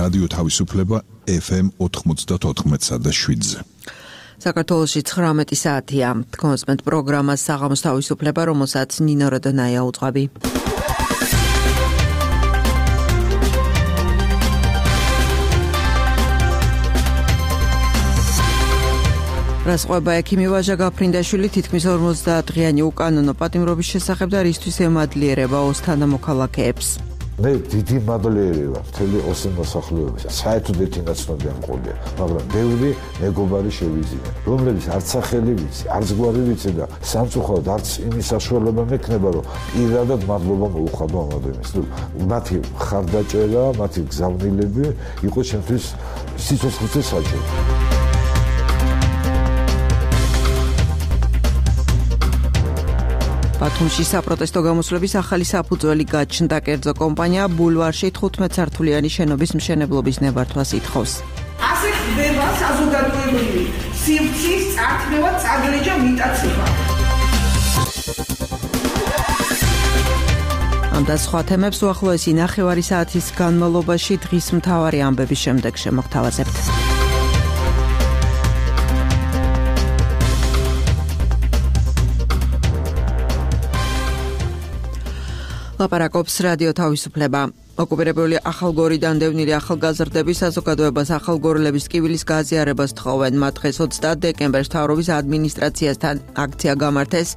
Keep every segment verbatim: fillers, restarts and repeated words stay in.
რადიო თავისუფლება ეფ ემ ოთხმოცდაოთხ და შვიდზე. საქართველოში ცხრამეტი საათია. კონსმენტ პროგრამას საღამოს თავისუფლება, რომელსაც ნინო როდონაია უძღვები. რასყვება ექიმი ვაჟა გაფრინდაშვილი თითქმის ორმოცდაათ დღიანი უკანონო პატიმრობის შესახებ და რისთვის ემადლიერება ოსთანა მოქალაქეებს. მე დიდი მადლიერი ვარ მთელი ოსტან მოსახლეობის. საერთოდ ერთი ნაცნობი არ მყოლია, მაგრამ ბევრი მეგობარი შევიზია, რომლებიც არც სახელი ვიცი, არც გვარი ვიცი და სამწუხაროდ არც იმის საშუალება მექნება, რომ პირადად მადლობა მოუხადო ამ ადამიანს. მათი ხარდაჭერა, მათი გზავნილები იყო ჩემთვის სიცოცხლის საჭირო. ბათუმში საპროტესტო გამოსვლების ახალი საფუძველი გაჩნდა. კერძო კომპანია ბულვარში თხუთმეტ სართულიანი შენობის მშენებლობის ნებართვას ითხოვს. ასე ხდება საზოგადოებრივი სივრცის წარქმევა, წაგრეჯა, მიტაცება. ამ და სხვა თემებს უახლოესი ნახევარი საათის განმავლობაში დღის მთავარი ამბების შემდეგ შემოგთავაზებთ. ლაპარაკობს რადიო თავისუფლება. ოკუპირებული ახალგორიდან დევნილი ახალგაზრდები საზოგადოებას ახალგორილების ტკივილის გაზიარებას თხოვენ. მათ დღეს ოცდაათ დეკემბერს მთავრობის ადმინისტრაციასთან აქცია გამართეს.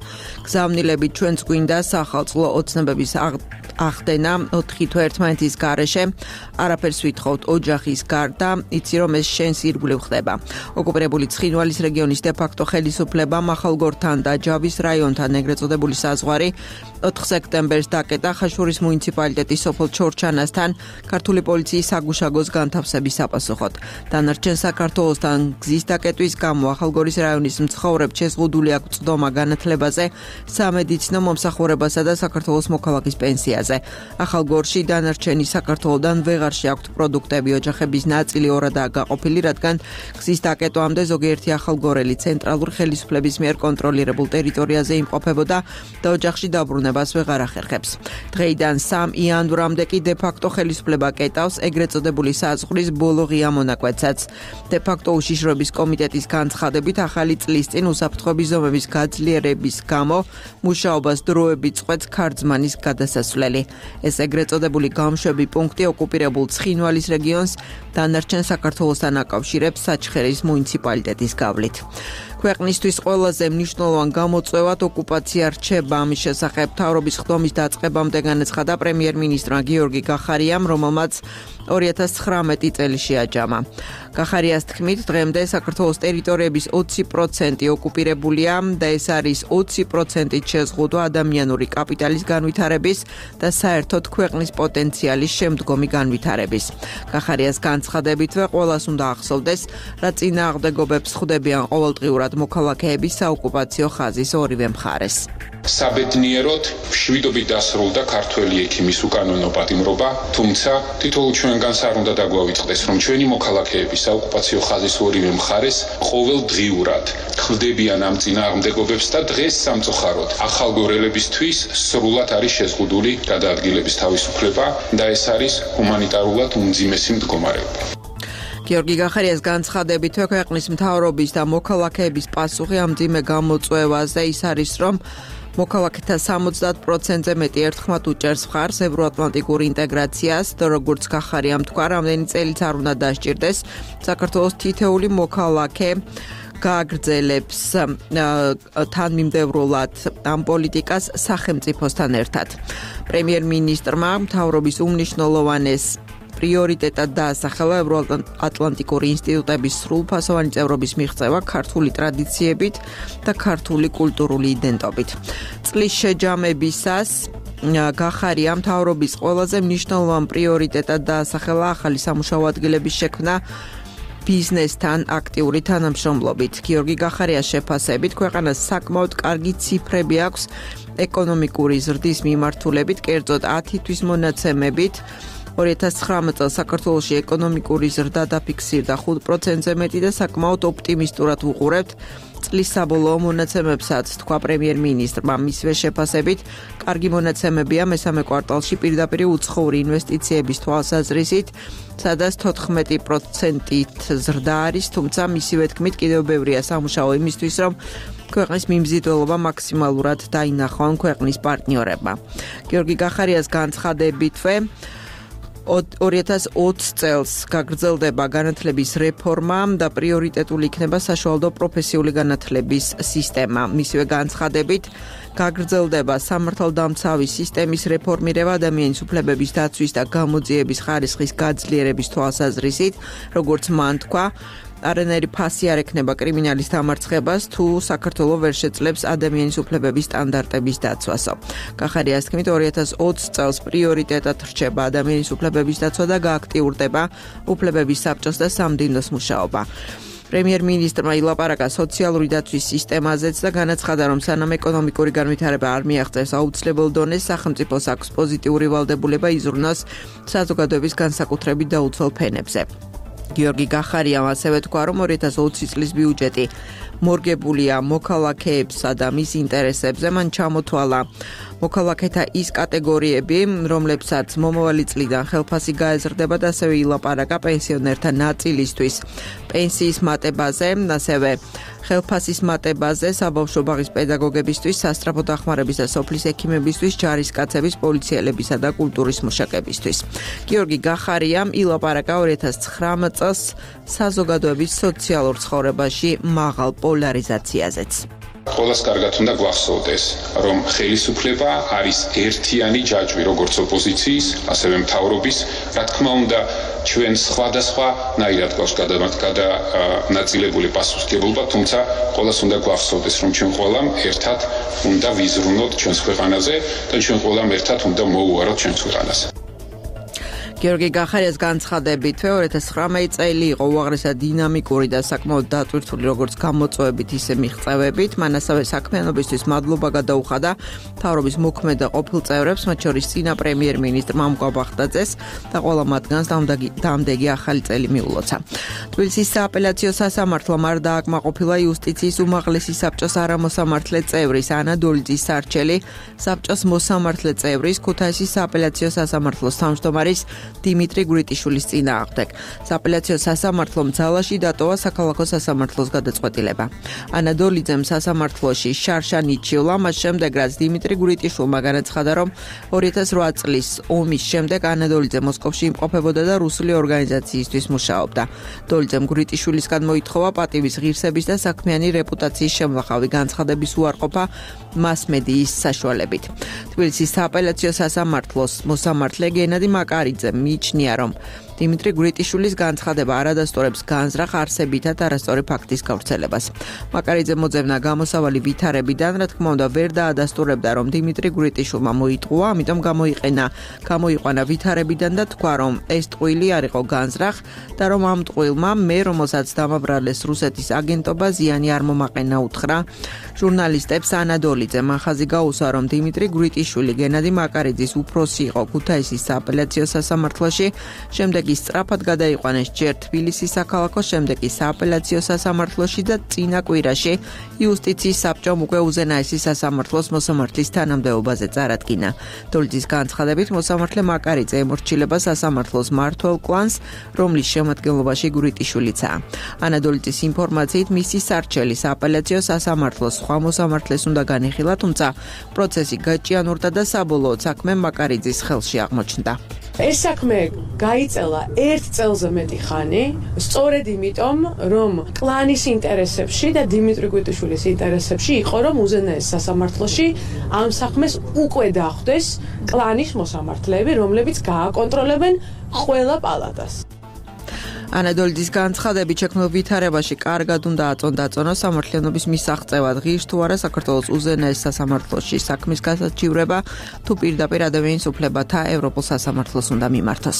გზავნილებით ჩვენც გვინდა სახალხო ოცნებების ახდენა ოთხი თვე ერთმანეთის გარეშე. არაფერს ვითხოვთ ოჯახის გარდა, იცი რომ ეს შენს ირგვლივ ხდება. ოკუპირებული ცხინვალის რეგიონის დე-ფაქტო ხელისუფლებამ ახალგორთან და ჯავის რაიონთან ეგრეთ წოდებული საზღვარი ოთხ სექტემბერს დაკეტა ხაშურის მუნიციპალიტეტის სოფელ ჩორჩანასთან ქართული პოლიციის საგუშაგოს განთავსების საპასუხოდ. დანარჩენ საქართველოსთან გზის დაკეტვის გამო ახალგორის რაიონის მცხოვრებს შეზღუდული აქვს წვდომა განათლებაზე, სამედიცინო მომსახურებასა და საქართველოს მოქალაქის პენსიაზე. ახალგორში დანარჩენი საქართველოდან ვეღარ შეაქვთ პროდუქტები. ოჯახების ნაწილი ორადაა გაყოფილი, რადგან გზის დაკეტვამდე ზოგიერთი ახალგორელი ცენტრალური ხელისუფლების მიერ კონტროლირებულ ტერიტორიაზე იმყოფებოდა და ოჯახში დაბრუნება ვეღარ ახერხებს. დღეიდან სამ იანვრამდე კი დე-ფაქტო ხელისუფლება კეტავს ეგრეთ წოდებული საზღვრის ბოლო ღია მონაკვეთსაც. დე-ფაქტო უშიშროების კომიტეტის განცხადებით ახალი წლის წინ უსაფრთხოების ზომების გაძლიერების გამო მუშაობას დროებით წყვეტს ქარწმანის გადასასვლელი. ეს ეგრეთ წოდებული გამშვები პუნქტი ოკუპირებულ ცხინვალის რეგიონს დანარჩენ საქართველოსთან აკავშირებს საჩხერის მუნიციპალიტეტის გავლით. ქვეყნისთვის ყველაზე მნიშვნელოვან გამოწვევად ოკუპაცია რჩება. ამის შესახებ მთავრობის ხდომის დაწყებამდე განაცხადა პრემიერ-მინისტრმა გიორგი გახარიამ, რომელმაც ორი ათას ცხრამეტი წელი შეაჯამა. გახარიას თქმით, დღემდე საქართველოს ტერიტორიების ოცი პროცენტი ოკუპირებულია და ეს არის ოცი პროცენტით შეზღუდვა ადამიანური კაპიტალის განვითარების და საერთოდ ქვეყნის პოტენციალის შემდგომი განვითარების. გახარიას განცხადებითვე ყველას უნდა ახსოვდეს, რა წინააღმდეგობებს ხვდებიან ყოველდღიურად მოქალაქეების საოკუპაციო ხაზის ორივე მხარეს. საბედნიეროდ მშვიდობით დასრულდა ქართველი ექიმის უკანონო პატიმრობა, თუმცა თითოეულ ჩვენგანს არ უნდა დაგვავიწყდეს, რომ ჩვენი მოქალაქეები საოკუპაციო ხაზის ორივე მხარეს ყოველდღიურად ხვდებიან ამ წინააღმდეგობებს და დღეს სამწუხაროდ ახალგორელებისთვის სრულად არის შეზღუდული გადაადგილების თავისუფლება და ეს არის ჰუმანიტარულად უმძიმესი მდგომარეობა. გიორგი გახარიას განცხადებითვე ქვეყნის მთავრობის და მოქალაქეების პასუხი ამ მძიმე გამოწვევაზე ის არის, რომ მოქალაქეთა სამოცდაათ პროცენტზე მეტი ერთხმად უჭერს მხარს ევროატლანტიკურ ინტეგრაციას და როგორც გახარიამ თქვა, რამდენი წელიც არ უნდა დასჭირდეს საქართველოს თითეული მოქალაქე გააგრძელებს თანმიმდევრულად ამ პოლიტიკას სახელმწიფოსთან ერთად. პრემიერ-მინისტრმა მთავრობის უმნიშვნელოვანეს პრიორიტეტად დაასახელა ევროატლანტიკური ინსტიტუტების სრულფასოვანი წევრობის მიღწევა ქართული ტრადიციებით და ქართული კულტურული იდენტობით. წლის შეჯამებისას გახარია მთავრობის ყველაზე მნიშვნელოვან პრიორიტეტად დაასახელა ახალი სამუშაო ადგილების შექმნა ბიზნესთან აქტიური თანამშრომლობით. გიორგი გახარიას შეფასებით, ქვეყანას საკმაოდ კარგი ციფრები აქვს ეკონომიკური ზრდის მიმართულებით, კერძოდ ათი თვის მონაცემებით ორი ათას ცხრამეტ წელს საქართველოში ეკონომიკური ზრდა დაფიქსირდა ხუთ პროცენტზე მეტი და საკმაოდ ოპტიმისტურად ვუყურებთ წლის საბოლოო მონაცემებსაც, თქვა პრემიერ-მინისტრმა. მისივე შეფასებით, კარგი მონაცემებია მესამე კვარტალში პირდაპირ უცხოური ინვესტიციების თვალსაზრისით, სადაც თოთხმეტი პროცენტით ზრდა არის, თუმცა მისივე თქმით კიდევ ბევრია სამუშაო იმისთვის, რომ ქვეყნის მიმზიდველობა მაქსიმალურად დაინახონ ქვეყნის პარტნიორებმა. გიორგი გახარიას განცხადებითვე ორი ათას ოცი წელს გაგრძელდება განათლების რეფორმა და პრიორიტეტული იქნება საშუალო პროფესიული განათლების სისტემა. მისივე განცხადებით გაგრძელდება სამართალდამცავი სისტემის რეფორმირება ადამიანის უფლებების დაცვის და გამოძიების ხარისხის გაძლიერების თვალსაზრისით, როგორც მან თქვა, არანაირი ფასი არ ექნება კრიმინალის დამარცხებას, თუ საქართველო ვერ შეძლებს ადამიანის უფლებების სტანდარტების დაცვასო. გახარიას თქმით, ორი ათას ოცი წელს პრიორიტეტად რჩება ადამიანის უფლებების დაცვა და გააქტიურდება უფლებების საბჭოს და სამდივნოს მუშაობა. პრემიერ-მინისტრმა ილაპარაკა სოციალური დაცვის სისტემაზეც და განაცხადა, რომ სანამ ეკონომიკური განვითარება არ მიაღწევს აუცილებელ დონეს, სახელმწიფოს აქვს პოზიტიური ვალდებულება იზრუნოს საზოგადოების განსაკუთრებით დაუცველ ფენებზე. გიორგი გახარიამ ასევე თქვა, რომ ორი ათას ოცი წლის ბიუჯეტი მორგებულია მოქალაქეებსა და მის ინტერესებზე. მან ჩამოთვალა მოქალაქეთა ის კატეგორიები, რომლებსაც მომავალი წლიდან ხელფასი გაეზრდება და ასევე ილაპარაკა პენსიონერთა ნაწილისთვის პენსიის მატებაზე, ასევე ხელფასის მატებაზე, საბავშვო ბაღის პედაგოგებისთვის, სასწრაფო დახმარების და სოფლის ექიმებისთვის, ჯარისკაცების, პოლიციელებისა და კულტურის მუშაკებისთვის. გიორგი გახარიამ ილაპარაკა ორი ათას ცხრამეტ წელს საზოგადოების სოციალურ ცხოვრებაში მაღალ პოლარიზაციაზეც. ყველას კარგად უნდა გვახსოვდეს, რომ ხელისუფლება არის ერთიანი ჯაჭვი როგორც ოპოზიციის, ასევე მთავრობის, რა თქმა უნდა, ჩვენ სხვადასხვა ნაირად გვაქვს გადანაწილებული პასუხისმგებლობა, თუმცა ყველას უნდა გვახსოვდეს, რომ ჩვენ ყველამ ერთად უნდა ვიზრუნოთ ჩვენს ქვეყანაზე და ჩვენ ყველამ ერთად უნდა მოუაროთ ჩვენს ქვეყანაზე. გიორგი გახარიას განცხადებითვე ორი ათას ცხრამეტი წელი იყო უაღრესად დინამიკური და საკმაოდ დატვირთული როგორც გამოწვევებით, ისე მიღწევებით. მან ასევე საქმიანობისთვის მადლობა გადაუხადა მთავრობის მოქმედ და ყოფილ წევრებს, მათ შორის წინა პრემიერ-მინისტრ მამუკა ბახტაძეს და ყველა მათგანს დამდეგი ახალი წელი მიულოცა. თბილისის სააპელაციო სასამართლომ არ დააკმაყოფილა იუსტიციის უმაღლესი საბჭოს არამოსამართლე წევრის ანა დოლიძის სარჩელი საბჭოს მოსამართლე წევრის ქუთაისის სააპელაციო სასამართლოს თავმჯდომარის დიმიტრი გვრიტიშვილის წინააღმდეგ. სააპელაციო სასამართლომ ძალაში დატოვა საქალაქო სასამართლოს გადაწყვეტილება. ანა დოლიძემ სასამართლოში შარშა ნიჩივლა, მას შემდეგ რაც დიმიტრი გვრიტიშვილმა განაცხადა, რომ ორი ათას რვა წლის ომის შემდეგ ანა დოლიძე მოსკოვში იმყოფებოდა და რუსული ორგანიზაციისთვის მუშაობდა. დოლიძემ გვრიტიშვილისგან მოითხოვა პატივის ღირსების და საქმიანი რეპუტაციის შემლახავი განცხადების უარყოფა მასმედიის საშუალებით. თბილისის სააპელაციო სასამართლოს მოსამართლე გენადი მაკარიძე მიიჩნია, რომ დიმიტრი გვრიტიშვილის განცხადება არ ადასტურებს განზრახ არსებითად არასწორი ფაქტის გავრცელებას. მაკარიძე მოძებნა გამოსავალი ვითარებიდან, რა თქმა უნდა, ვერ დაადასტურებდა, რომ დიმიტრი გვრიტიშვილმა მოიტყუა, ამიტომ გამოიყენა, გამოიყვანა ვითარებიდან და თქვა, რომ ეს ტყუილი არ იყო განზრახ და რომ ამ ტყუილმა მე, რომელსაც დამაბრალეს რუსეთის აგენტობა, ზიანი არ მომაყენა უთხრა ჟურნალისტებს ანა დოლიძე. მახაზი გაუსვა, რომ დიმიტრი გვრიტიშვილი გენადი მაკარიძის უფროსი იყო ქუთაისის სააპელაციო სასამართლოში, შემდეგ ის სწრაფად გადაიყვანეს ჯერ თბილისის საქალაქო, შემდეგ ის სააპელაციო სასამართლოში და წინა კვირაში იუსტიციის საბჭომ უკვე უზენაესი სასამართლოს მოსამართლის თანამდებობაზე წარადგინა. დოლიძის განცხადებით მოსამართლე მაკარიძე ემორჩილება სასამართლოს მმართველ კლანს, რომლის შემადგენლობაში გვრიტიშვილიცაა. ანა დოლიძის ინფორმაციით მისი სარჩელი სააპელაციო სასამართლოს სხვა მოსამართლეს უნდა განიხილა, თუმცა პროცესი გაჭიანურდა და საბოლოოდ საქმე მაკარიძის ხელში აღმოჩნდა. ეს საქმე გაიწელა ერთ წელზე მეტი ხანი, სწორედ იმიტომ, რომ კლანის ინტერესებში და დიმიტრი გვრიტიშვილის ინტერესებში იყო, რომ უზენაეს სასამართლოში ამ საქმეს უკვე დახვდეს კლანის მოსამართლეები, რომლებიც გააკონტროლებენ ყველა პალატას. ანა დოლიძის განცხადებით შექმნილ ვითარებაში კარგად უნდა აწონ-დაწონოს სამართლიანობის მისაღწევად ღირს თუ არა საქართველოს უზენაეს სასამართლოში საქმის გასაჩივრება, თუ პირდაპირ ადამიანის უფლებათა ევროპულ სასამართლოს უნდა მიმართოს.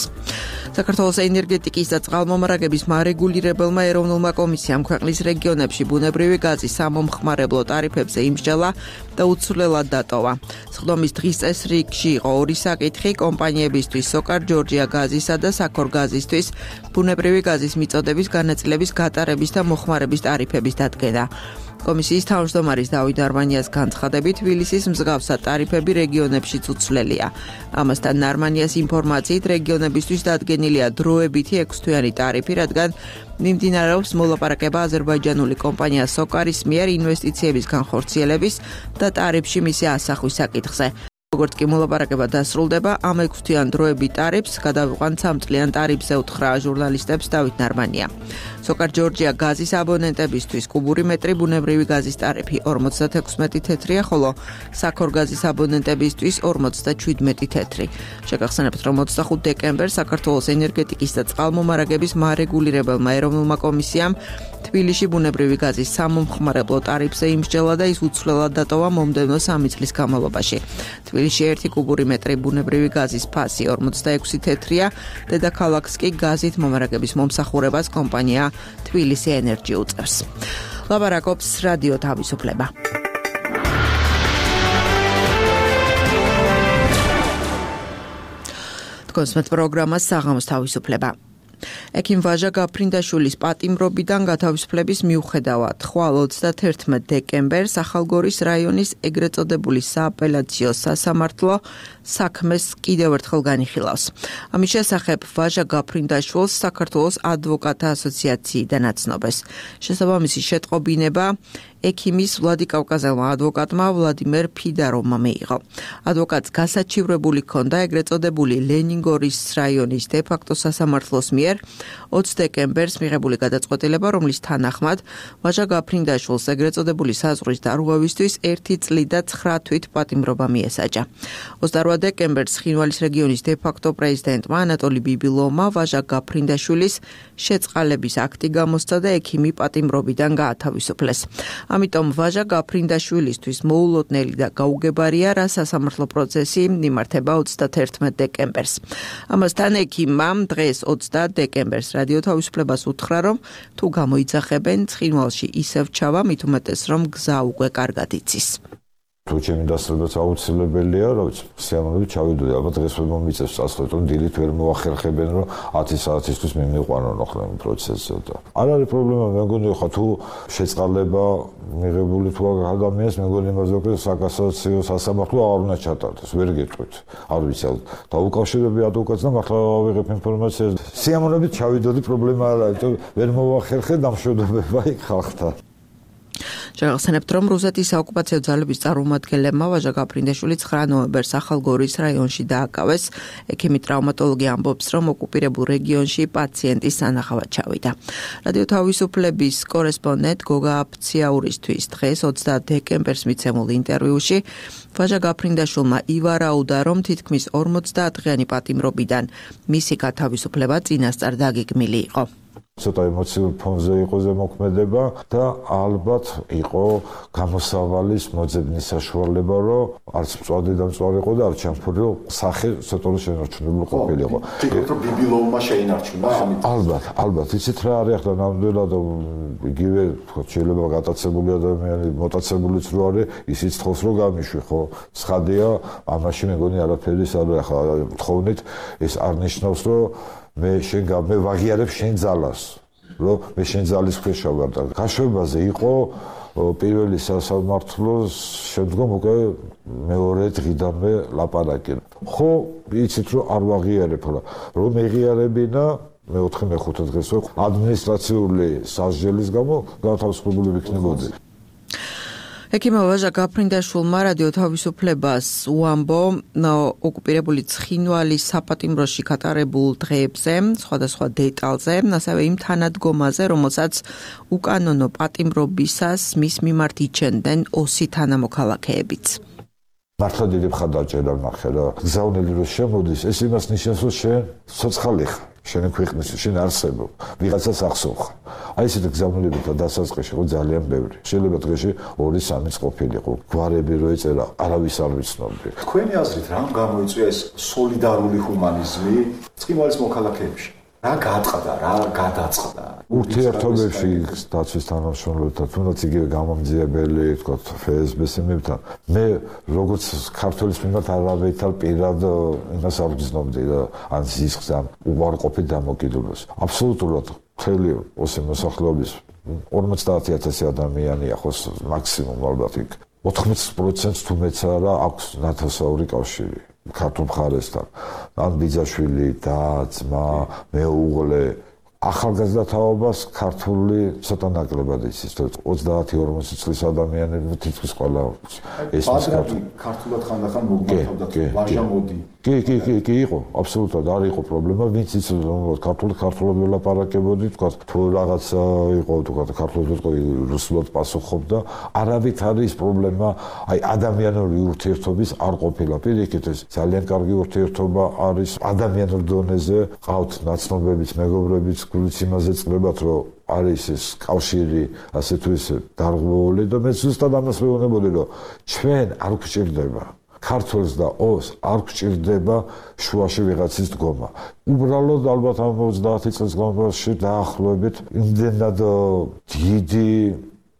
საქართველოს ენერგეტიკის და წყალმომარაგების მარეგულირებელმა ეროვნულმა კომისიამ ქვეყნის რეგიონებში ბუნებრივი გაზის სამომხმარებლო ტარიფებზე იმსჯელა და უცვლელად დატოვა. სხდომის დღის წესრიგში იყო ორი საკითხი: კომპანიებისთვის სოკარ ჯორჯია გაზისა და საქორ გაზისთვის ბუნებრივი გაზის მიწოდების განაწილების გატარების და მოხმარების ტარიფების დადგენა. კომისიის თავმჯდომარის დავით ნარმანიას განცხადებით, თბილისის მსგავსად ტარიფები რეგიონებშიც უცვლელია. ამასთან ნარმანიას ინფორმაციით, რეგიონებისთვის დადგენილია დროებითი ექვსთვიანი ტარიფი, რადგან მიმდინარეობს მოლაპარაკება აზერბაიჯანული კომპანია სოკარის მიერ ინვესტიციების განხორციელების და ტარიფში მისი ასახვის საკითხზე. როგორც კი მოლაპარაკება დასრულდება, ამ ექვსთვიან დროებით ტარიფს გადავიყვანთ სამწლიან ტარიფზე უთხრა ჟურნალისტებს დავით ნარმანია. სოკარ ჯორჯია გაზის აბონენტებისთვის კუბური მეტრი ბუნებრივი გაზის ტარიფი ორმოცდათექვსმეტი თეთრია, ხოლო საქორ გაზის აბონენტებისთვის ორმოცდაჩვიდმეტი თეთრი. შეგახსენებთ, რომ ოცდახუთ დეკემბერს საქართველოს ენერგეტიკის და წყალმომარაგების მარეგულირებელმა ეროვნულმა კომისიამ თბილისში ბუნებრივი გაზის სამომხმარებლო ტარიფზე იმსჯელა და ის უცვლელად დატოვა მომდევნო სამი წლის განმავლობაში. თბილისში ერთი კუბური მეტრი ბუნებრივი გაზის ფასი ორმოცდაექვსი თეთრია, დედაქალაქს კი გაზით მომარაგების მომსახურებას კომპანია თბილისი ენერჯი უწევს. ლაპარაკობს რადიო თავისუფლება. თქვენს პროგრამას საღამოს თავისუფლება. ექიმ ვაჟა გაფრინდაშვილის პატიმრობიდან გათავისუფლების მიუხედავად, ხვალ ოცდათერთმეტ დეკემბერს ახალგორის რაიონის ეგრეთ წოდებული სააპელაციო სასამართლო საქმეს კიდევ ერთხელ განიხილავს. ამის შესახებ ვაჟა გაფრინდაშვილს საქართველოს ადვოკატთა ასოციაციიდან აცნობეს. შესაბამისი შეტყობინება ექიმის ვლადი კავკაზელმა ადვოკატმა ვლადიმერ ფიდაროვმა მიიღო. ადვოკატს გასაჩივრებული ჰქონდა ეგრეთ წოდებული ლენინგორის რაიონის დე-ფაქტო სასამართლოს მიერ ოცი დეკემბერს მიღებული გადაწყვეტილება, რომლის თანახმად ვაჟა გაფრინდაშვილს ეგრეთ წოდებული საზღვრის დარღვევისთვის ერთი წლით და ცხრა თვით პატიმრობა მიესაჯა. ოცდაოთხ დეკემბერს ცხინვალის რეგიონის დე-ფაქტო პრეზიდენტმა ანატოლი ბიბილოვმა ვაჟა გაფრინდაშვილის შეწყალების აქტი გამოსცა და ექიმი პატიმრობიდან გაათავისუფლეს. ამიტომ ვაჟა გაფრინდაშვილისთვის მოულოდნელი და გაუგებარია, რა სასამართლო პროცესი მიმართება ოცდათერთმეტ დეკემბერს. ამასთან ექიმმა დღეს ოცდაათი დეკემბერს რადიო თავისუფლებას უთხრა, რომ თუ გამოიძახებენ, ცხინვალში ისევ ჩავა, მით უმეტეს, რომ გზა უკვე კარგად იცის. თუ ჩემი დასწრებაც აუცილებელია, რა ვიცი, სიამოვნებით ჩავიდოდი, ალბათ დღეს ვერ მომიწევს წასვლით, რომ დილით ვერ მოახერხებენ, რომ ათი საათისთვის მიმიყვანონ ახლა იმ პროცესზე და არ არის პრობლემა, მე მგონი ხა თუ შეწყალება მიღებული თუ ადამიანს, მე მგონი იმაზე რომ საკასაციო სასამართლო არ უნდა ჩატარდეს, ვერ გეტყვით. არ ვიცი, დაუკავშირები ადვოკატს და მართლა ავიღებ ინფორმაციას. სიამოვნებით ჩავიდოდი, პრობლემა არ არის, ვერ მოახერხე დამშვიდობება იქ ხალხთან. შეგახსენებთ, რომ რუსეთის საოკუპაციო ძალების წარმომადგენლებმა ვაჟა გაფრინდაშვილი ცხრა ნოემბერს ახალგორის რაიონში დააკავეს. ექიმი ტრავმატოლოგი ამბობს, რომ ოკუპირებულ რეგიონში პაციენტის სანახავად ჩავიდა. რადიო თავისუფლების კორესპონდენტ გოგა აფციაურისთვის დღეს ოცდაათი დეკემბერს მიცემულ ინტერვიუში ვაჟა გაფრინდაშვილმა ივარაუდა, რომ თითქმის ორმოცდაათი დღიანი პატიმრობიდან მისი გათავისუფლება წინასწარ დაგეგმილი იყო. ცოტა ემოციურ ფონზე იყო ზემოქმედება და ალბათ იყო გამოსავალის მოძებნის საშუალება, რომ არც მწვადი და მწვარი იყო და არც ჩამფური, რომ სახე ცოტა შენარჩუნებული ყოფილიყო. თითქოს რომ ბიბილოვმა შეინარჩუნა ამით. ალბათ, ალბათ, იცით რა არის ახლა ნამდვილად იგივე შეიძლება გატაცებული ადამიანი, მოტაცებულიც რო არის, ისიც თხოვს რომ გამიშვი, ხო? ცხადია, ამაში მეგონი არაფერი არ არის. ახლა თხოვნით ეს არ ნიშნავს, რომ მე შენ მე ვაღიარებ შენ ძალას, რომ მე შენ ძალის ქვეშ ვარ და გაშვებაზე იყო პირველი სასამართლოს შემდგომ უკვე მეორე დღიდანვე ლაპარაკი. ხო, იცით რომ არ ვაღიარებ, რომ მეღიარებინა მეოთხე მეხუთე დღეს ადმინისტრაციული სასჯელის გამო გათავისუფლებული ვიქნებოდი. ექიმ ვაჟა გაფრინდაშვილმა რადიო თავისუფლებას უამბო ოკუპირებული ცხინვალის საპატიმროში გატარებულ დღეებზე, სხვადასხვა დეტალზე, ასევე იმ თანადგომაზე, რომელსაც უკანონო პატიმრობისას მის მიმართ იჩენდნენ ოსი თანამოქალაქეებიც. მართლა დიდი მხარდაჭერა ნახე რა. გზავნილი რო შემოდის, ეს იმას ნიშნავს, რომ შენ ცოცხალი ხარ. შენ ქვეყნის შენ არსებობ, ვიღაცას ახსოვხ. აი ესეთი გზავნილები და დასაწყისში იყო ძალიან ბევრი. შეიძლება დღეში ორი სამი ყოფილიყო. გვარები რო ეწერა, არავის არ ვიცნობდი. თქვენი აზრით, რამ გამოიწვია ეს სოლიდარული ჰუმანიზმი ცხინვალის მოქალაქეებში? რა გააწყდა, რა გადაწყდა. ურთიერთობებში დაცვის თანამშრომლებთან, თუნდაც იგივე გამამძიებელი, თქვა ეფ ეს ბე-ს-ებთან, მე როგორც ქართველის მიმართ არავითარ პირად იმას არ გრძნობდი და ან ზისხს ან უარყოფით დამოკიდებულებას. აბსოლუტურად მთელი ოსი მოსახლეობის ორმოცდაათი ათასი ადამიანია ხოს მაქსიმუმ ალბათ იქ. ოთხმოც პროცენტს თუ მეც არა აქვს ნათესაური კავშირი ქართულ მხარესთან. ან ბიძაშვილი, და, ძმა, მეუღლე ახალგაზრდა თაობას ქართული ცოტა ნაკლებად იცის, ოცდაათი ორმოცი წლის ადამიანები თითქმის ყველა ეს ქართულად ხანდახან მოგმართავდა ვაჟა მოდი. კი, კი, კი, კი იყო, აბსოლუტურად არ იყო პრობლემა, ვინც იცოდა ქართული ქართულად ველაპარაკებოდი, თქვა თუ რაღაცა იყო, თქვა ქართულად იყო რუსულად პასუხობდა, არავით არის პრობლემა, აი ადამიანური ურთიერთობის არ ყოფილა. პირიქით ეს ძალიან კარგი ურთიერთობა არის ადამიანურ დონეზე, ყავთ ნაცნობებიც, მეგობრებიც, გულიც იმაზე წლებათ, რომ არის ეს კავშირი, ასე თუ ისე დარღვეული და მე ზუსტად ამას ვეუბნებოდი, რომ ჩვენ არ გვჭირდება ქართველს და ოს არ გვჭირდება შუაში ვიღაცის დგომა. უბრალოდ ალბათ ამ ოცდაათი წლის განმავლობაში დაახლოებით იმდენად დიდი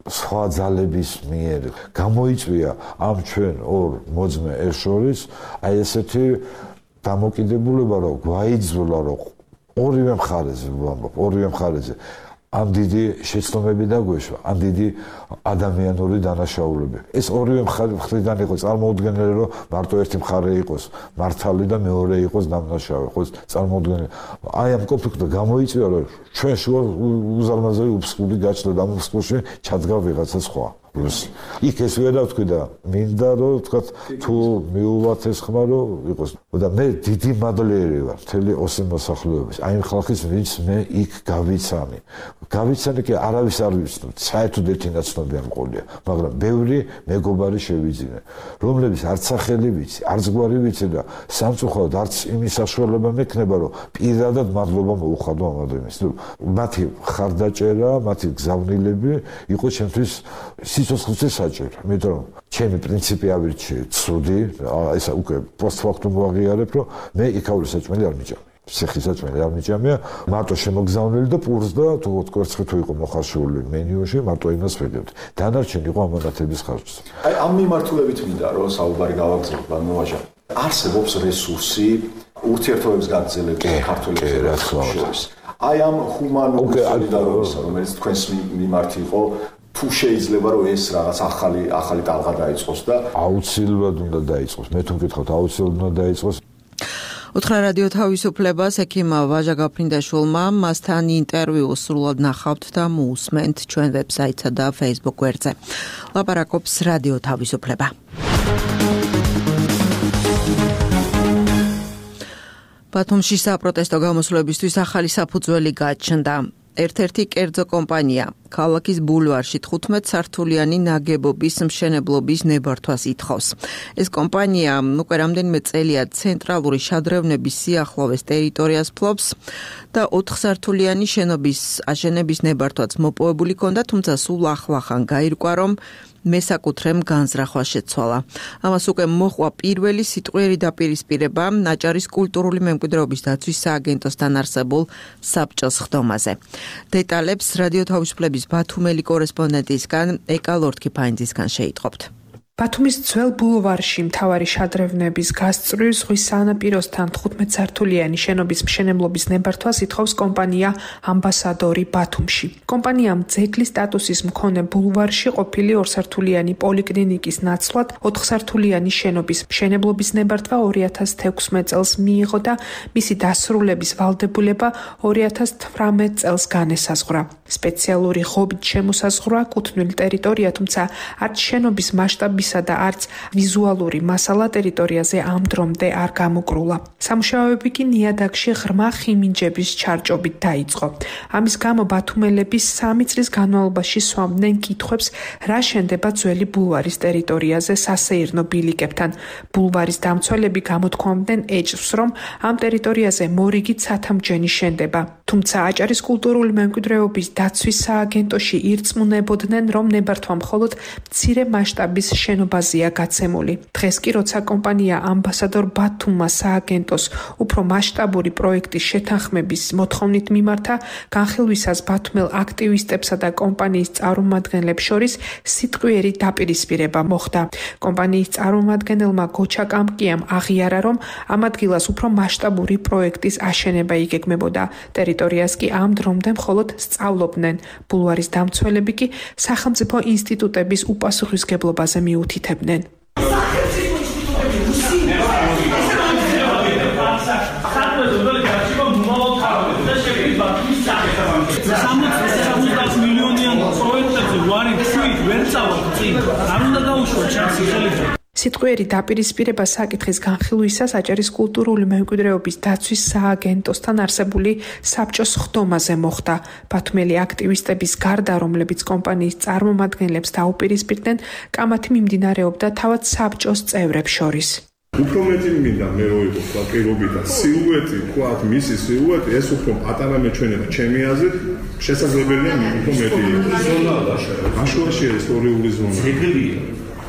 სხვა ძალების მიერ გამოიწვია ამ ჩვენ ორ მოძმე ერთ შორის აი ესეთი დამოკიდებულება, რომ გვაიძულა, რომ ორივე მხარეზე ვამბობ, ორივე მხარეზე ამ დიდი შეცდომები დაგვეშვა, ამ დიდი ადამიანური დანაშაულები. ეს ორივე მხრიდან იყო წარმოუდგენელი, რომ მარტო ერთი მხარე იყოს მართალი და მეორე იყოს დამნაშავე, ხო წარმოუდგენელი. აი ამ კონფლიქტი გამოიწვია, რომ ჩვენ შუა უზარმაზარი უფსკული გაჩნდა და ამ უფსკულში ჩადგა ვიღაცა სხვა. იქ ეს ვერ დავთქვი და მინდა რომ ვთქვათ თუ მიუვათ ეს ხმა რომ იყოს და მე დიდი მადლიერი ვარ მთელი ოსი მოსახლეობის აი ხალხის ვინც მე იქ გავიცანი გავიცანი კი არავის არ ვიცნობ საერთოდ ერთი ნაცნობი არ მყოლია მაგრამ ბევრი მეგობარი შევიძინე რომლებიც არც სახელი ვიცი არც გვარი ვიცი და სამწუხაროდ არც იმის საშუალება მექნება რომ პირადად მადლობა მოუხადო ამ ადამიანს მათი ხარდაჭერა მათი გზავნილები იყო ჩემთვის სიცოცხლეზე საჭირო, იმიტომ რომ ჩემი პრინციპი ავირჩიე ცუდი, ესა უკვე პოსტფაქტუმ ვაღიარებ, რომ მე იქაური საჭმელი არ მიჭამე. ციხის საჭმელი არ მიჭამია, მარტო შემოგზავნილი და პურს და თუ კვერცხი თუ იყო მოხარშული მენიუში, მარტო იმას ვეგებდი. დანარჩენი იყო ამანათების ხარჯზე. აი ამ მიმართულებით მინდა რომ საუბარი გავაგრძელოთ, ბანოვაჟა. არსებობს რესურსი ურთიერთობებს გაგრძელებით ქართველებს შორის. აი ამ ჰუმანურ სოლიდარობისა, რომელიც თქვენს მიმართ იყო თუ შეიძლება რომ ეს რაღაც ახალი ახალი ტალღა დაიწყოს და აუცილებლად უნდა დაიწყოს. მე თუ მკითხავთ აუცილებლად უნდა დაიწყოს. უთხრა რადიო თავისუფლებას ექიმ ვაჟა გაფრინდაშვილმა მასთან ინტერვიუ სრულად ნახავთ და მოусმენთ ჩვენ ვებსაიტსა და Facebook გვერდზე. ლაპარაკობს რადიო თავისუფლება. ბათუმში საპროტესტო გამოსვლებისთვის ახალი საფუძველი გაჩნდა. ერთ-ერთი კერძო კომპანია ქალაქის ბულვარში თხუთმეტ სართულიანი ნაგებობის მშენებლობის ნებართვას ითხოვს. ეს კომპანია უკვე რამდენიმე წელია ცენტრალური შადრევნების სიახლოვეს ტერიტორიას ფლობს და ოთხსართულიანი შენობის აშენების ნებართვაც მოპოვებული ჰქონდა, თუმცა სულ ახლახან გაირკვა, რომ მესაკუთრემ განზრახვა შეცვალა. ამას უკვე მოჰყვა პირველი სიტყვიერი დაპირისპირება ნაჭარის კულტურული მემკვიდრეობის დაცვის სააგენტოსთან არსებულ საბჭოს ხდომაზე. დეტალებს რადიო თავისუფლების ბათუმელი კორესპონდენტისგან ეკა ლორთქიფაინძისგან შეიტყობთ. ბათუმის ძველ ბულვარში მთავარი შადრევნების გასწვრივ ზღვის სანაპიროსთან თხუთმეტ სართულიანი შენობის მშენებლობის ნებართვას ითხოვს კომპანია ამბასადორი ბათუმში. კომპანიამ ძეგლის სტატუსის მქონე ბულვარში ყოფილი ორსართულიანი პოლიკლინიკის ნაცვლად ოთხსართულიანი შენობის მშენებლობის ნებართვა ორი ათას თექვსმეტ წელს მიიღო და მისი დასრულების ვალდებულება ორი ათას თვრამეტ წელს განესაზღვრა. სპეციალური ღობით შემოსაზღვრა კუთვნილი ტერიტორია, თუმცა არც შენობის მასშტაბის და არც ვიზუალური მასალა ტერიტორიაზე ამ დრომდე არ გამოკრულა. სამუშაოები კი ნიადაგში ღრმა ხიმინჯების ჩარჭობით დაიწყო. ამის გამო ბათუმელები სამი წლის განმავლობაში სვამდნენ კითხვებს, რა შენდება ძველი ბულვარის ტერიტორიაზე სასეირნო ბილიკებთან. ბულვარის დამცველები გამოთქვამდნენ ეჭვს, რომ ამ ტერიტორიაზე მორიგით სათავმჯენი შენდება. თუმცა აჭარის კულტურული მემკვიდრეობის დაცვის სააგენტოში ირწმუნებოდნენ, რომ ნებართვა მხოლოდ მცირე მასშტაბის შენობაზეა გაცემული. დღეს კი როცა კომპანია ამბასადორ ბათუმმა სააგენტოს უფრო მასშტაბური პროექტის შეთანხმების მოთხოვნით მიმართა, განხილვისას ბათუმელ აქტივისტებსა და კომპანიის წარმომადგენლებს შორის სიტყვიერი დაპირისპირება მოხდა. კომპანიის წარმომადგენელმა გოჩა კამკიამ აღიარა, რომ ამ ადგილას უფრო მასშტაბური პროექტის აშენება იგეგმებოდა. ტერიტორიას კი ამ დრომდე მხოლოდ სწავლობდნენ. ბულვარის დამცველები კი სახელმწიფო ინსტიტუტების უპასუხისმგებლობაზე მიუთითებდნენ. სიტყვიერი დაპირისპირება საკითხის განხილვისას აჭარის კულტურული მემკვიდრეობის დაცვის სააგენტოსთან არსებული საბჭოს ხდომაზე მოხდა. ბათუმელი აქტივისტების გარდა, რომლებიც კომპანიის წარმომადგენლებს დაუპირისპირდნენ, კამათი მიმდინარეობდა თავად საბჭოს წევრებს შორის. უფრო მეტი მინდა მე რო იყო საკირობი და სილუეტი, თქვათ, მისი სილუეტი ეს უფრო პატარა მეჩვენება ჩემი აზრით, შესაძლებელია უფრო მეტი იყოს. ზონაა შეიძლება. აშუაში ისტორიული ზონა. ძეგლია.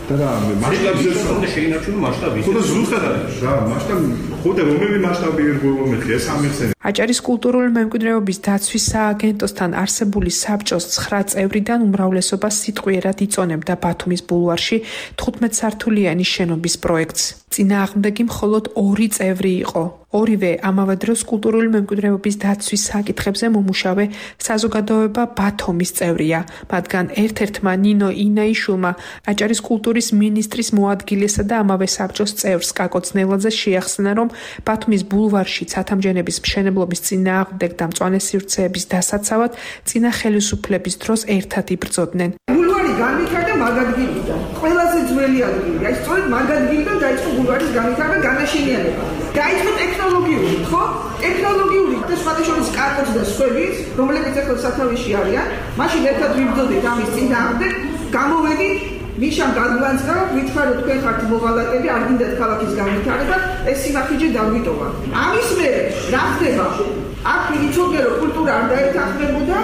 და მასშტაბზე შეინარჩუნო მასშტაბი. ხოდა ზუსტად არის რა, მასშტაბი, ხოდა რომელი მასშტაბი ერგო მე ეს ამიხსენე. აჭარის კულტურული მემკვიდრეობის დაცვის სააგენტოსთან არსებული საბჭოს ცხრა წევრიდან უმრავლესობა სიტყვიერად იწონებდა ბათუმის ბულვარში თხუთმეტსართულიანი შენობის პროექტს. წინააღმდეგი მხოლოდ ორი წევრი იყო. ორივე ამავე დროს კულტურული მემკვიდრეობის დაცვის საკითხებზე მომუშავე საზოგადოება ბათუმის წევრია. მათგან ერთ-ერთმა ნინო ინაიშვილმა აჭარის კულტურის მინისტრის მოადგილესა და ამავე საბჭოს წევრს კაკო ძნელაძე შეახსნა, რომ ბათუმის ბულვარში ცათამბჯენების მშენებლობის წინააღმდეგ და მწვანე სივრცეების დასაცავად წინა ხელისუფლების დროს ერთად იბრძოდნენ. ბულვარი განვითარდა მაგ ადგილიდან. ყველაზე ძველი ადგილი. აი სწორედ მაგ ადგილიდან დაიწყო ბულვარის განვითარება, განაშენიანება. დაიწყო ტექნოლოგიური, ხო? ტექნოლოგიური და სხვადასხვა კარტოც და სხვების, რომლებიც ახლა სათავეში არიან, მაშინ ერთად ვიბრძოდით ამის წინააღმდეგ, გამოვედით მიშამ გადმოანცდა, ვიჩქარო თქვენ ხართ მოღალატები, არ გინდათ ქალაქის განვითარება, ეს სიმართლე დაგვიტოვა. ამის მერე რა ხდება? აქ იცოდე რომ კულტურა არ დაეთანხმებოდა,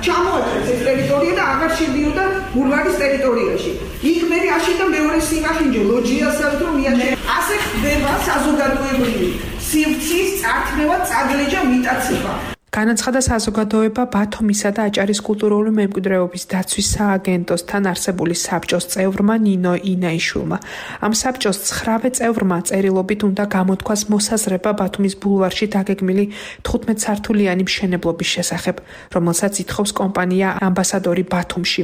ჩამოაჭრეს ეს ტერიტორია და აღარ შედიოდა ბულვარის ტერიტორიაში. იქ მე აშენდა მეორე სიმართლე ლოჯიასაც რომ მიაჩნია. ასე ხდება საზოგადოებრივი სივრცის წარქმევა, წაგლეჯა, მიტაცება. განაცხადა საზოგადოება ბათუმისა და აჭარის კულტურული მემკვიდრეობის დაცვის სააგენტოსთან არსებული საბჭოს წევრმა ნინო ინაიშვილმა. ამ საბჭოს ცხრავე წევრმა წერილობით უნდა გამოთქვას მოსაზრება ბათუმის ბულვარში დაგეგმილი თხუთმეტსართულიანი მშენებლობის შესახებ, რომელსაც ითხოვს კომპანია ამბასადორი ბათუმში.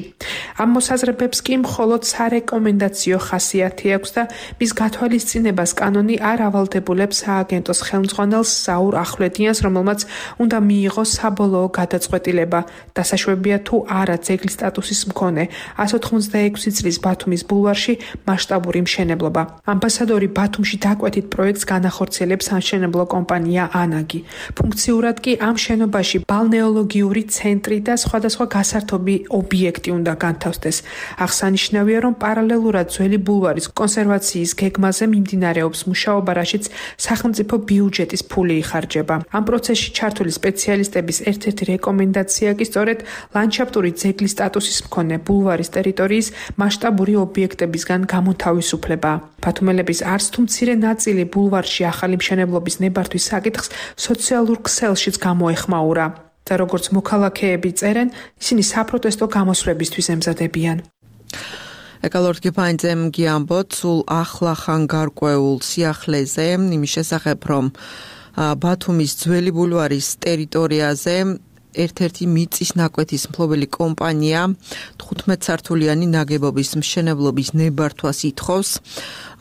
ამ მოსაზრებებს კი მხოლოდ სარეკომენდაციო ხასიათი აქვს და მის გათვალისწინებას კანონი არ ავალდებულებს სააგენტოს ხელმძღვანელს საურ ახვლედიანს, რომელმაც უნდა მიიღო საბოლოო გადაწყვეტილება. დასაშვებია თუ არა ძეგლის სტატუსის მქონე εκατს ოცდაექვსი წლის ბათუმის ბულვარში მასშტაბური მშენებლობა. ამბასადორი ბათუმში დაკვეთით პროექტს განახორციელებს სამშენებლო კომპანია ანაგი. ფუნქციურად კი ამ შენობაში ბალნეოლოგიური ცენტრი და სხვადასხვა გასართობი ობიექტი უნდა განთავსდეს. აღსანიშნავია, რომ პარალელურად ძველი ბულვარის კონსერვაციის გეგმაზე მიმდინარეობს მუშაობა, რაშიც სახელმწიფო ბიუჯეტის ფული იხარჯება. ამ პროცესში ჩართული სპეციალისტების ერთ-ერთი რეკომენდაცია კი სწორედ ლანდშაფტური ძეგლის სტატუსის მქონე ბულვარის ტერიტორიის მასშტაბური ობიექტებისგან გამოთავისუფლება. ბათუმელების არც თუ მცირე ნაწილი ბულვარში ახალი მშენებლობის ნებართვის საკითხს სოციალურ ქსელშიც გამოეხმაურა. და როგორც მოქალაქეები წერენ, ისინი საპროტესტო გამოსვლებისთვის ემზადებიან. ეკალორდ გიფაინძემ გიამბოთ სულ ახლახან გარკვეულ სიახლეზე იმის შესახებ, რომ ბათუმის ძველი ბულვარის ტერიტორიაზე ერთ-ერთი მიწის ნაკვეთის მფლობელი კომპანია თხუთმეტსართულიანი ნაგებობის მშენებლობის ნებართვას ითხოვს.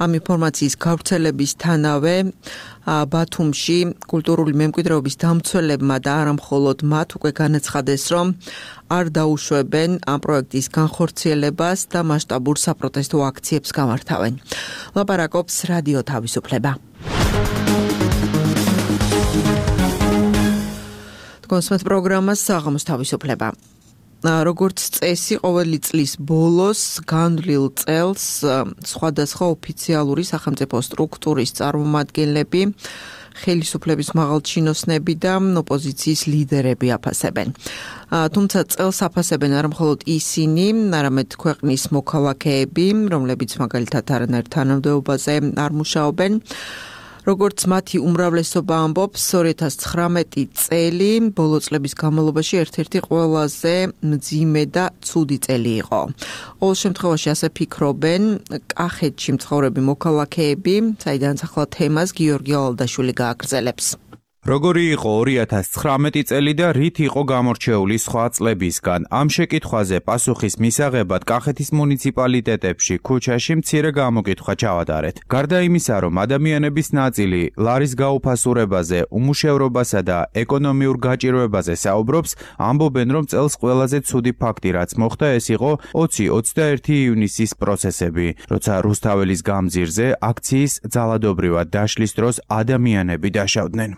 ამ ინფორმაციის გავრცელებისთანავე ბათუმში კულტურული მემკვიდრეობის დამცველებმა და არა მხოლოდ მათ უკვე განაცხადეს, რომ არ დაუშვებენ ამ პროექტის განხორციელებას და მასშტაბურ საპროტესტო აქციებს გამართავენ. ლაპარაკობს რადიო თავისუფლება. კონსმეთ პროგრამას საღამოს თავისუფლება. როგორც წესი, ყოველი წლის ბოლოს განვლილ წელს სხვადასხვა ოფიციალური სახელმწიფო სტრუქტურის წარმომადგენლები, ხელისუფლების მაღალჩინოსნები და ოპოზიციის ლიდერები აფასებენ. თუმცა წელს აფასებენ არა მხოლოდ ისინი, არამედ ქვეყნის მოქალაქეები, რომლებიც მაგალითად არანაირ თანამდებობაზე არ მუშაობენ. როგორც მათი უმრავლესობა ამბობს, ორი ათას ცხრამეტი წელი ბოლო წლების განმავლობაში ერთ-ერთი ყველაზე მძიმე და ცუდი წელი იყო. ყოველ შემთხვევაში ასე ფიქრობენ კახეთში მცხოვრები მოქალაქეები, საიდანაც ახლა თემას გიორგი ალალდაშვილი გააგრძელებს. როგორი იყო ორი ათას ცხრამეტი წელი და რით იყო გამორჩეული სხვა წლებისგან? ამ შეკითხვაზე პასუხის მისაღებად კახეთის მუნიციპალიტეტებში ქუჩაში მცირე გამოკითხვა ჩავატარეთ. გარდა იმისა, რომ ადამიანების ნაწილი ლარის გაუფასურებაზე, უმუშევრობასა და ეკონომიურ გაჭირვებაზე საუბრობს, ამბობენ, რომ წელს ყველაზე ცუდი ფაქტი, რაც მოხდა, ეს იყო ოცი ოცდაერთი ივნისის პროცესები, როცა რუსთაველის გამზირზე აქციის ძალადობრივად დაშლის დროს ადამიანები დაშავდნენ.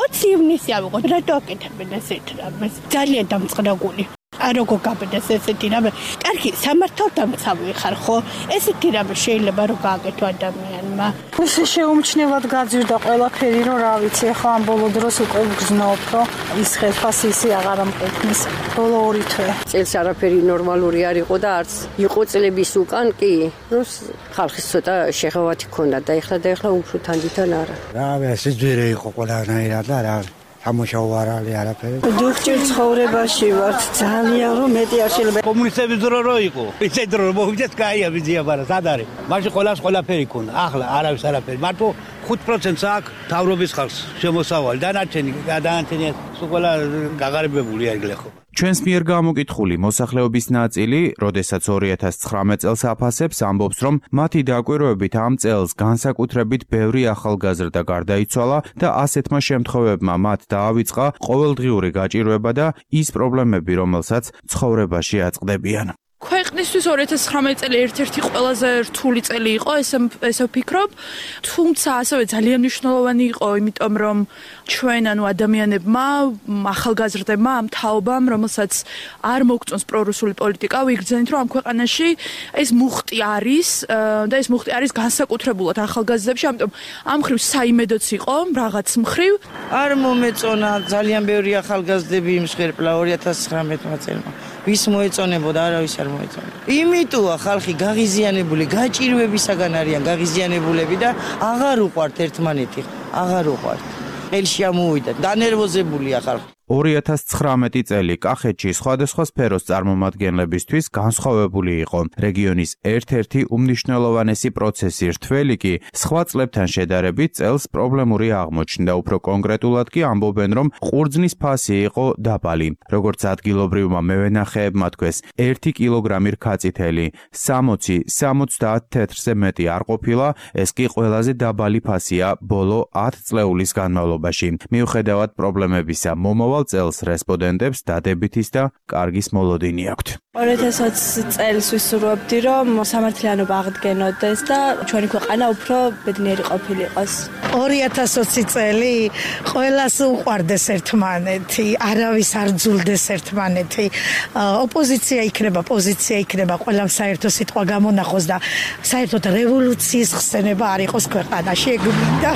ოცი ივნისი ავიღო, რატო აკეთებენ ესეთ რამეს? ძალიან დამწყნაგული. არ როგორ გაბედეს ესეთი რამე. კარგი, სამართალდამცავი ხარ, ხო? ესეთი რამე შეიძლება რომ გააკეთო ადამიანმა. ისე შეუმჩნევად გაძვირდა ყველაფერი, რომ რა ვიცი, ახლა ამ ბოლო დროს უკვე გრძნობ, რომ ის ხელფასი ისე აღარ ამყექნის. ბოლო ორი თვე. წელს არაფერი ნორმალური არ იყო და არც იყო წლების უკან კი, ну, ხალხის ცოტა შეღავათი ქონდა და ეხლა და ეხლა უფრო თანდითან არა. რა, სიძვირე იყო ყველანაირად და რა. სამუშაო არ არის არაფერი. დუხჭირ ცხოვრებაში ვართ ძალიან რომ მეტი არ შეიძლება. კომუნისტების დრო რო იყო. ისე დრო მოვიდეს კაია ვიზია ბარა, სად არის? მაშინ ყველას ყველაფერი ქონდა. ახლა არავის არაფერი. მარტო ხუთ პროცენტს აქვს თავრობის ხალხს შემოსავალი. დანარჩენი, დანარჩენი სულ ყველა გაღარიბებული არის ხო. ჩვენს მიერ გამოკითხული მოსახლეობის ნაწილი, როდესაც ორი ათას ცხრამეტ წელს აფასებს, ამბობს, რომ მათი დაკვირვებით ამ წელს განსაკუთრებით ბევრი ახალგაზრდა გარდაიცვალა და ასეთმა შემთხვევებმა მათ დაავიწყა ყოველდღიური გაჭირვება და ის პრობლემები, რომელსაც ცხოვრებაში აწყდებიან. ქვეყნისთვის ორი ათას ცხრამეტი წელი ერთ-ერთი ყველაზე რთული წელი იყო, ესე ესე ვფიქრობ, თუმცა ასევე ძალიან მნიშვნელოვანი იყო, იმიტომ რომ ჩვენ ანუ ადამიანებმა, ახალგაზრდებმა, ამ თაობამ, რომელსაც არ მოგწონს პრორუსული პოლიტიკა, ვიგრძენით, რომ ამ ქვეყანაში ეს მუხტი არის და ეს მუხტი არის განსაკუთრებულად ახალგაზრდებში, ამიტომ ამ ხრივ საიმედოც იყო, რაღაც მხრივ. არ მომეწონა ძალიან ბევრი ახალგაზრდები იმსხვერპლა ორი ათას ცხრამეტმა წელმა. ვის მოეწონებოდა, არავის არ მოეწონა. იმიტოა ხალხი გაღიზიანებული, გაჭირვებისაგან არიან გაღიზიანებულები და აღარ უყვართ ერთმანეთი, აღარ უყვართ. ხელში ამოვიდა, დანერვოზებულია ხალხი. ორი ათას ცხრამეტი წელი კახეთში სხვადასხვა სფეროს წარმომადგენლებისთვის განსხვავებული იყო. რეგიონის ერთ-ერთი უმნიშვნელოვანესი პროცესი რთველი კი სხვა წლებთან შედარებით წელს პრობლემური აღმოჩნდა. უფრო კონკრეტულად კი ამბობენ, რომ ყურძნის ფასი იყო დაბალი. როგორც ადგილობრივმა მევენახეებმა თქვეს, ერთი კილოგრამი რქაწითელი სამოცი სამოცდაათ თეთრზე მეტი არ ყოფილა, ეს კი ყველაზე დაბალი ფასია ბოლო ათ წლეულის განმავლობაში. მიუხედავად პრობლემებისა, მომავალ წელს რესპონდენტებს დადებითის და კარგის მოლოდინი აქვთ. ორი ათას ოცი წელს ვისურვებდი, რომ სამართლიანობა აღდგენოდეს და ჩვენი ქვეყანა უფრო ბედნიერი ყოფილიყოს. ორი ათას ოცი წელი ყველას უყვარდეს ერთმანეთი, არავის არ ძულდეს ერთმანეთი. ოპოზიცია იქნება, პოზიცია იქნება, ყველამ საერთო სიტყვა გამონახოს და საერთოდ რევოლუციის ხსენება არ იყოს ქვეყანაში, ეგ მინდა.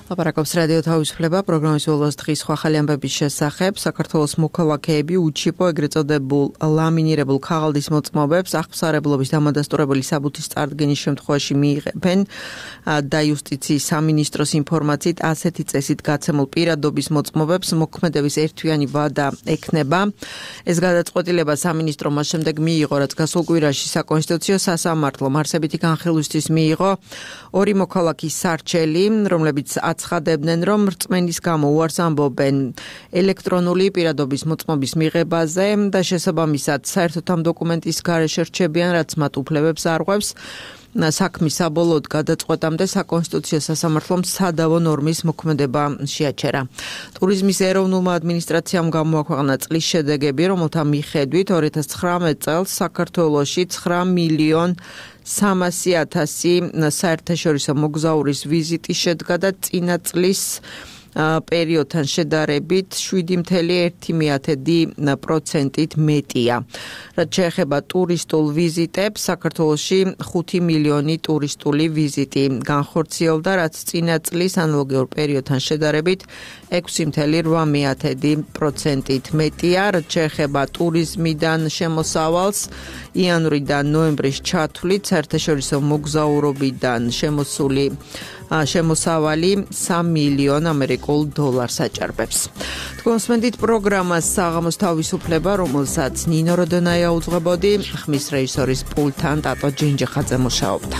ლაპარაკობს რადიო თავისუფლება პროგრამის ბოლოს დღის სხვა ახალი ამბების შესახებ. საქართველოს მოქალაქეები უჩიპო ეგრეთ წოდებულ ლამინირებულ ქაღალდის მოწმობებს აღფსარებლობის დამადასტურებელი საბუთის წარდგენის შემთხვევაში მიიღებენ და იუსტიციის სამინისტროს ინფორმაციით ასეთი წესით გაცემულ პირადობის მოწმობებს მოქმედების ერთვიანი ვადა ექნება. ეს გადაწყვეტილება სამინისტრო მას შემდეგ მიიღო, რაც გასულ კვირაში საკონსტიტუციო სასამართლომ არსებითი განხილვისთვის მიიღო ორი მოქალაქის სარჩელი, რომლებიც აცხადებდნენ, რომ რწმენის გამო უარს ამბობენ ელექტრონული პირადობის მოწმობის მიღებაზე და შესაბამისად საერთოდ ამ დოკუმენტის გარეშე რჩებიან, რაც მათ უფლებებს არღვევს. საქმის საბოლოოდ გადაწყვეტამდე საკონსტიტუციო სასამართლომ სადავო ნორმის მოქმედება შეაჩერა. ტურიზმის ეროვნულმა ადმინისტრაციამ გამოაქვეყნა წლის შედეგები, რომელთა მიხედვით ორი ათას ცხრამეტ წელს საქართველოში ცხრა მილიონ სამასი ათასი საერთაშორისო მოგზაურის ვიზიტი შედგა და წინა წლის პერიოდთან შედარებით შვიდი წელი ერთი პროცენტით მეტია. რაც შეეხება ტურისტულ ვიზიტებს, საქართველოში ხუთი მილიონი ტურისტული ვიზიტი განხორციელდა, რაც წინა წლის ანალოგიურ პერიოდთან შედარებით ექვსი წელი რვა პროცენტით მეტია. რაც შეეხება ტურიზმიდან შემოსავალს, იანვრიდან ნოემბრის ჩათვლით საერთაშორისო მოგზაურობიდან შემოსული შემოსავალი სამი მილიონ ამერიკულ დოლარს აჭარბებს. თქვენ მსმენთ პროგრამას საღამოს თავისუფლება, რომელსაც ნინო როდონაია უძღვებოდი, ხმის რეჟისორის პულტთან ტატო ჯინჯიხაძე მუშაობდა.